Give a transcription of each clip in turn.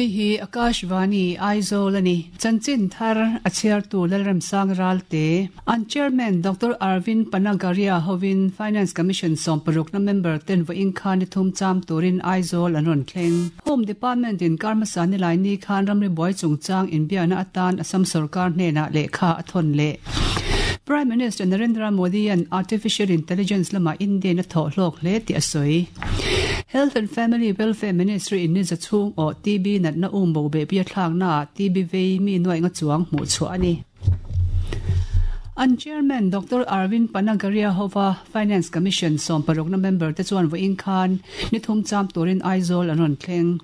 Hei hi Akashvani, Aizawl a ni. Chanchin thar a chhiartu Lalremsang Ralte, an Chairman Doctor Arvind Panagariya hovin Finance Commission sawmparukna member ten vawiin khan ni thum cham turin Aizawl an rawn thleng. Home Department in kar hmasa nilai ni khan ramri buai chungchang inbiakna atan Assam sorkar hnenah lehkha a thawn leh. Prime Minister Narendra Modi-a'n Artificial Intelligence lamah Indian a thawh hlawk hle tih a sawi. Health and Family Welfare Ministry in niza chhung awh TB natna um bo behpui a thlaknaah TB vei mi nuaih nga chuang hmuh chhuah a ni. An Chairman Doctor Arvind Panagariya hova Finance Commission sawmparukna member te chuan vawiin khan ni thum cham turin Aizawl an rawn thleng.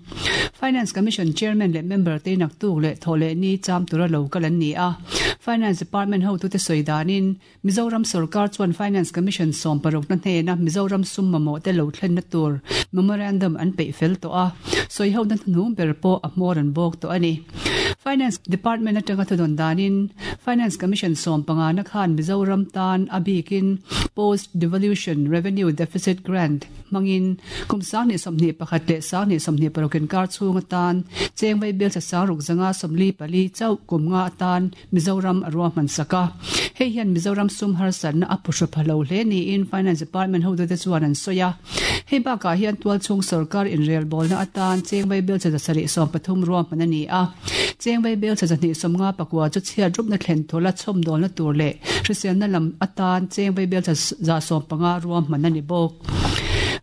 Finance Commission Chairman leh member te naktuk leh thawh leh ni cham tura lo kal an ni a. Finance Department hotute sawi danin Mizoram sorkar chuan Finance Commission sawmparukna hnena Mizoram sum mamawh te lo thlenna tur memorandum an peih fel tawh a, sawihona hnuhnung ber pawh a hmawr an bawk tawh a ni. Finance Department atanga thudawn danin Finance Commission sawmpangana khan Mizoram tan a bikin Post Devolution Revenue Deficit Grant hmangin kum 2021 leh 2026 inkar chhung atan cheng vaibel thla ruk zanga 44 chauh kum nga atan Mizoram a ruahman sak a. Hei hian Mizoram sum harsatna a phuhru pha lo hle niin Finance Department hotute chuan an sawi a. Hei bakah hian tualchhung sorkar inrelbawlna atan cheng vaibel chaza sarih 13 ruahman a ni a. Cheng vaibel chaza hnih 54 chu chhiat rupna thlen thawla chhawmdawlna tur leh hriselna lam atan cheng vaibel chaza 15 ruahman a ni bawk.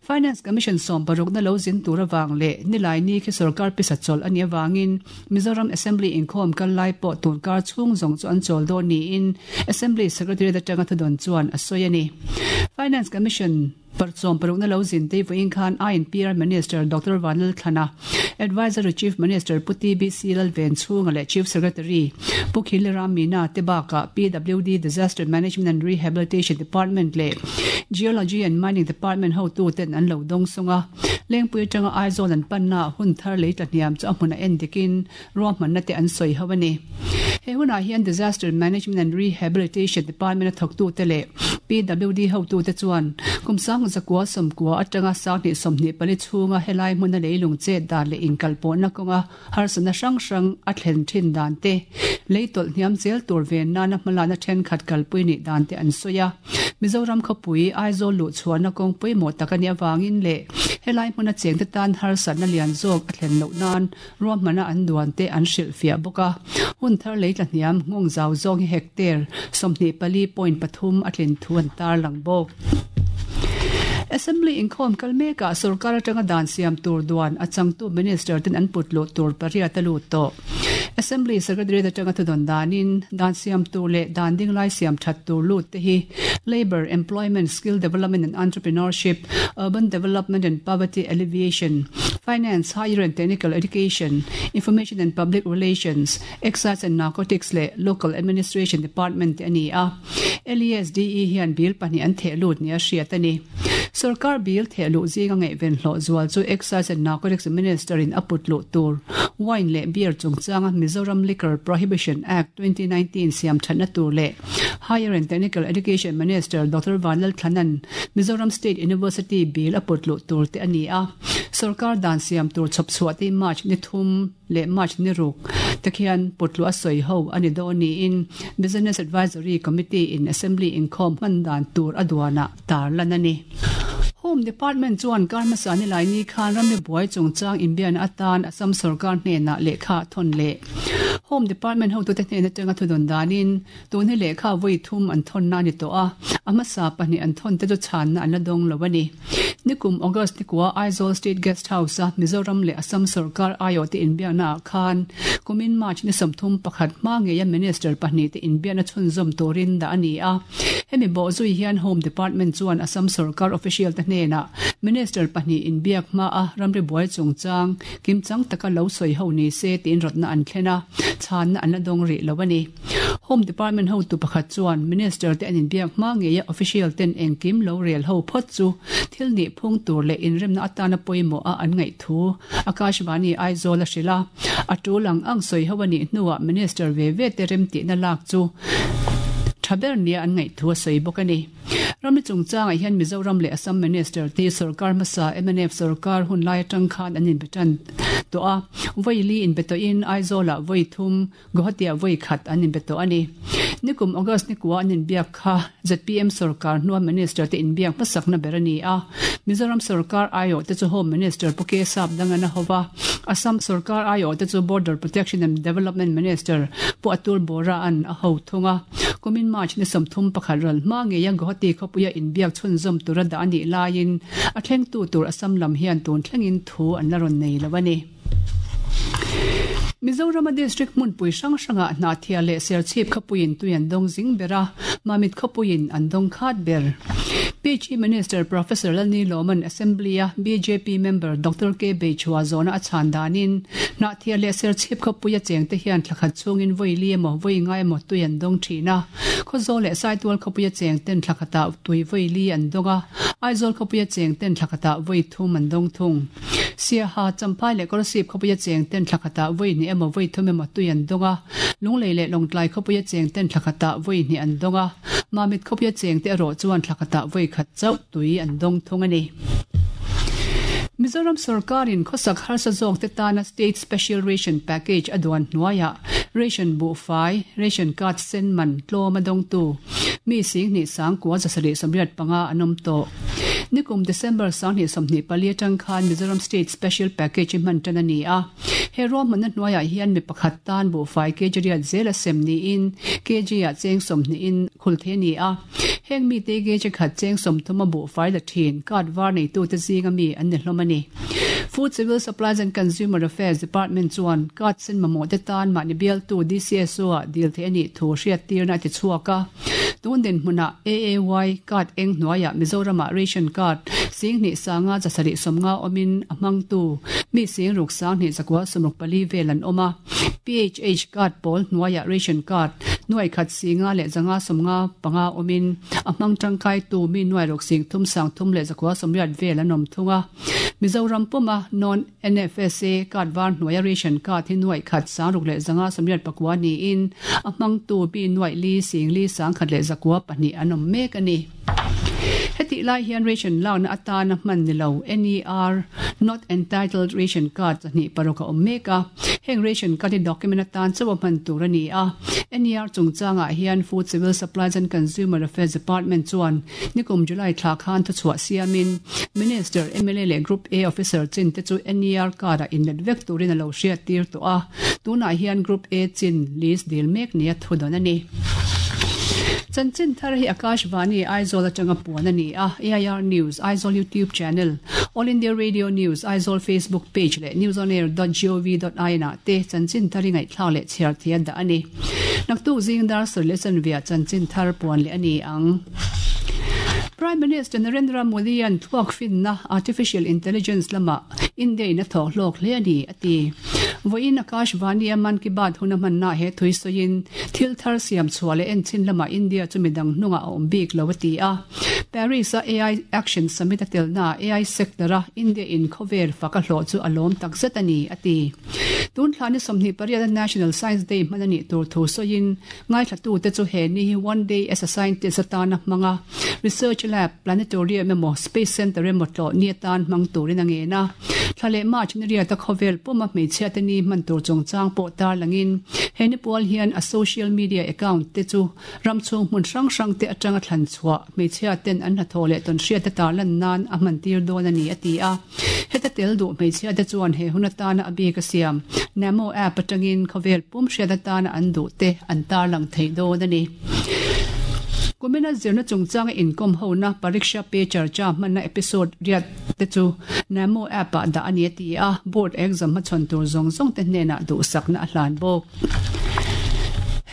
Finance Commission sawmparukna lo zin tur avang leh Nilaini khi sorkar pisa chawlh a nih avangin Mizoram Assembly inkhawm kal lai pawh tun kar chhung zawng chu an chawl dawn niin Assembly Secretariat atanga thudawn chuan a sawi a ni. Finance Commission parchawm parukna lo zin tei vawiin khan INPR Minister Doctor Vanlalthlana, Advisory Chief Minister Pu TBC Lalvenchhunga leh Chief Secretary Pu Khiliram Meena te bakah PWD Disaster Management and Rehabilitation Department leh Geology and Mining Department hotuten an lo dawng sung a. Lengpui atanga Aizawl an panna hun thar lei tla hniam chu a hmun a en dikin ruahmanna te an sawi ho a ni. He hunah hian Disaster Management and Rehabilitation Department a thawktute leh PWD hotute chuan kum 19 90 atanga 2024 chhunga helai hmuna leilung chet dan leh inkalpawhna kawnga harsatna hrang hrang a thlen thin dan te, lei tawlh hniam zel tur ven nana hmalakna thenkhat kalpui nih dan te an sawi a. Mizoram khawpui Aizawl luh chhuahna kawng pawimawh tak a nih avangin leh helai hmuna chengte tan harsatna lian zawk a thlen loh nan ruahmana an duan te an hrilhfiah bawk a. Hun thar lei tla hniam nghawng zau zawng hi hectare 24.3 a tlin thu an tarlang bawk. Assembly inkhawm kal mekah sorkar atanga dan siam tur duan a changtu Minister ten an put luh tur pariat a lut tawh. Assembly Secretariat atanga thudawn danin dan siam tur leh dan ding lai siam that tur lut te hi Labour, Employment, Skill Development and Entrepreneurship, Urban Development and Poverty Alleviation, Finance, Higher and Technical Education, Information and Public Relations, Excise and Narcotics leh Local Administration Department te a ni a. LESDE hian bill pahnih an theh lut nia hriat a ni. Sorkar bill theh luh zinga ngaihven hlawh zual chu Excise and Narcotics Minister in a put luh tur Wine leh Beer chungchanga Mizoram Liquor Prohibition Act 2019 siam thatna tur leh Higher and Technical Education Minister Doctor Vanlalthlanan Mizoram State University bill a put luh tur te a ni a. Sorkar dan siam tur chhawp chhuah te March ni thum leh March ni ruk te khian putluah a sawi ho a ni dawn niin Business Advisory Committee in Assembly inkhawm hman dan tur a duanah tarlan a ni. Home Department chuan kar hmasa nilai ni khan ramri buai chungchang inbiakna atan Assam sorkar hnenah lehkha a thawn leh. Home Department hotute hnen atanga thudawn danin tun hi lehkha vawi thum an thawnna a ni tawh a, a hmasa pahnih an thawn te chu chhanna an la dawng lo a ni. Nikum August nikua Aizawl State Guest House a Mizoram leh Assam sorkar aiawhte inbiakna ah khan kumin March ni 31 hma ngeia Minister pahnih te inbiakna chhunzawm turin dah a ni a. Hemi bawh zui hian Home Department chuan Assam sorkar official te hnenah Minister pahnih inbiak hma a ramri buai chungchang kimchang taka lo sawi ho ni se tiin rawtna an thlen a, chhanna an la dawng rih lo a ni. Home Department hotu pakhat chuan Minister te an inbiak hma ngeia official ten engkim lo rel ho phawt chu thil nih phung tur leh inremna atana pawimawh a an ngaih thu Akashvani Aizawl a hrilh a. A tul ang ang sawi ho a nih hnuah Minister ve ve te remtihna lak chu tha ber nia an ngaih thu a sawi bawk a ni. Ramri chungchangah hian Mizoram leh Assam Minister te sorkar hmasa mnf sorkar hun lai atang khan an inbe tan tawh a, vawi li inbe tawhin Aizawlah vawi thum, Guwahati-ah vawi khat an inbe tawh a ni. Nikum August nikua an inbiak kha zpm sorkar hnua Minister te inbiak hmasakna ber a ni a, Mizoram sorkar aiawh te chu Home Minister Pu K Sapdangana hova, Assam sorkar aiawh te chu Border Protection and Development Minister Pu Atul Bora-a'n a ho thung a. Kumin March ni 31 ral hma ngeia Guwahati khawpuia inbiak chhunzawm tura dah a nih laiin a thlengtu tur Assam lam hian tun thlengin thu an la rawn nei lo a ni. Mizorama District hmunpui hrang hrangah Hnahthial leh Serchhip khawpuiin tui an dawng zing ber a, Mamit khawpuiin an dawng khat ber. PHE Minister Professor Lalni Lawman Assembly-a bjp member Doctor K Beichhua zawhna a chhan danin Hnahthial leh Serchhip khawpuia chengte hian thla khat chhungin vawi li emaw vawi ngai emaw tui an dawng thin a. Khawzawl leh Saitual khawpuia chengten thla khatah tui vawi li an dawng a, Aizawl khawpuia chengten thla khatah vawi thum an dawng thung. Siaha, Champhai leh Kolasib khawpuia chengten thla khatah vawi hnih emaw vawi thum emaw tui an dawng a, Lunglei leh Lawngtlai khawpuia chengten thla khatah vawi hnih an dawng a, Mamit khawpuia chengte erawh chuan thla khatah vawi khat chauh tui an dawng thung a ni. Mizoram sorkarin khawsak harsa zawkte tana State Special Ration Package a duan hnuaiah ration buhfai, ration card sen man tlawm a dawngtu mi 10 sangkua 775 an awm tawh. Nikum December 2024 atang khan Mizoram State Special Package hi hman tan a ni a. He ruahmanna hnuaiah hian mi pakhat tan buhfai kg riat zel a sem niin kg ah cheng sawmhnihin khul thei a ni a. Heng mite kg khat cheng sawmthum a buhfai la thin card var neitute zinga mi an ni hlawm a ni. Food Civil Supplies and Consumer Affairs Department chuan card sen mamawhte tan mahni bialtu DCSO ah dil theih a nih thu hriattirna a ti chhuak a. Tun dinhmunah AAY card eng hnuaiah Mizoramah ration card 10 sanga 750 awmin a hmangtu mi 6 sang 2 kua 64 vel an awm a. PHH card pawl hnuaiah ration card nuai khat 5 leh zanga 55 awmin a hmang tangkaitu mi nuai ruk 3 sang thum leh zakua 80 vel an awm thung a. Mizoram puma non NFSA card var hnuaia ration card hi nuaih khat 6 leh zanga 89 niin a hmangtu mi nuaih li 4 sang khat leh zakua pahnih an awm mek a ni. Hetih lai hian ration lakna atana hman ni lo NER, Not Entitled Ration Card 2 paruk a awm mek a. Heng ration card hi document atan chauh a hman tur a ni a. NER chungchangah hian Food Civil Supplies and Consumer Affairs Department chuan nikum July thla khan thuchhuah siamin Minister, mla leh Group A officer chin te chu NER card ah inlet vek turin a lo hriattir tawh a. Tunah hian Group A chin list dil mek nia thudawn a ni. Chanchin thar hi Akashvani Aizawl atanga puan a ni a, AIR News, Aizawl YouTube Channel, All India Radio News, Aizawl Facebook Page leh newsonair dot gov dot in ah te chanchin thar hi ngaihthlak leh chhiar thei a dah a ni. Naktuk zing dar sawi leh chanvia chanchin thar puan leh a ni ang. Prime Minister Narendra Modi-a'n thluak finna, Artificial Intelligence, lamah India in a thawk hlawk hle a ni, a ti. Vawiin Akashvani-a Mann Ki Baat hun a hmannaah he thui sawiin, thil thar siam chhuah leh enchhin lamah India chu midang hnungah a awm bik lo, a ti a. Paris-a AI Action Summit a telnaah AI sector-a India in khawvel fak a hlawh chu a lawm takzet a ni, a ti. Tun thla ni 28 a National Science Day hman a nih tur thu sawiin, Ngaithlatute chu he ni hi One Day as a Scientist atana hmang a, Research Lab, Planetarium emaw Space Centre emaw tlawh ni atan hmang turin a ngen a. Thla leh March ni riata khawvel puma hmeichhiate ni hman tur chungchang pawh tarlangin he ni pual hian a social media account te chu ram chhung hmun hrang hrang te atanga thlan chhuah hmeichhia ten an hnathawh leh tawnhriat te tarlan nan a hman tir dawn a ni a ti a. Heta tel duh hmeichhia te chuan he hun atana a bik a siam Namo app atangin khawvel pum hriat atana an duh te an tarlang thei dawn a ni. Kumina zirna chungchanga inkawm hona Pariksha Pe Charcha hmanna episode riat te chu Namo app ah dah a ni a ti a, board exam hmachhawn tur zawng zawng te hnenah duhsakna a hlan bawk.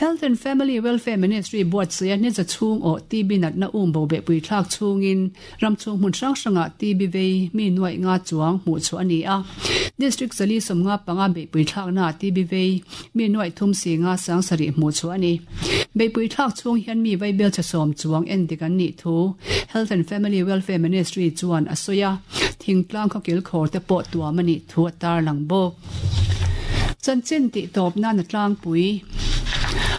Health and Family Welfare Ministry buatsaia Niza chhung awh TB natna um bo behpui thlak chhungin Ram chhung hmun hrang hrangah TB vei mi nuaih nga chuang hmuh chhuah a ni a. District 4 75 beihpui thlaknaah TB vei mi nuaih thum si nga sang sarih hmuh chhuah a ni. Beihpui thlak chhung hian mi vaibel chhe sawm chuang en dik an nih thu Health and Family Welfare Ministry chuan a sawi a, thingtlang khawkil khawr te pawh tuam a nih thu a tarlang bawk. Chanchin tih tawp nan a tlangpui.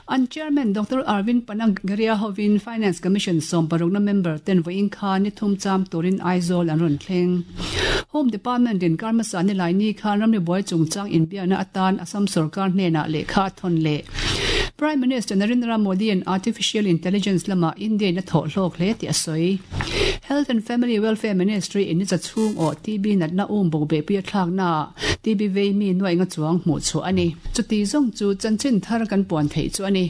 An Chairman Doctor Arvind Panagariya hovin Finance Commission sawmparukna member ten vawiin khan ni thum cham turin Aizawl an rawn thleng. Home Department in Karmasa Nilaini khan ramri buai chungchang inbiakna atan Assam sorkar hnenah lehkha a thawn leh. Prime Minister Narendra Modi-a'n Artificial Intelligence lamah India-in a thawh hlawk hle tih a sawi. Health and Family Welfare Ministry in ni cha chhung awh TB natna um bawk behpui a thlaknaah TB vei mi nuaih nga chuang hmuh chhuah a ni. Chuti zawng chu chanchin thar kan puan theih chu a ni.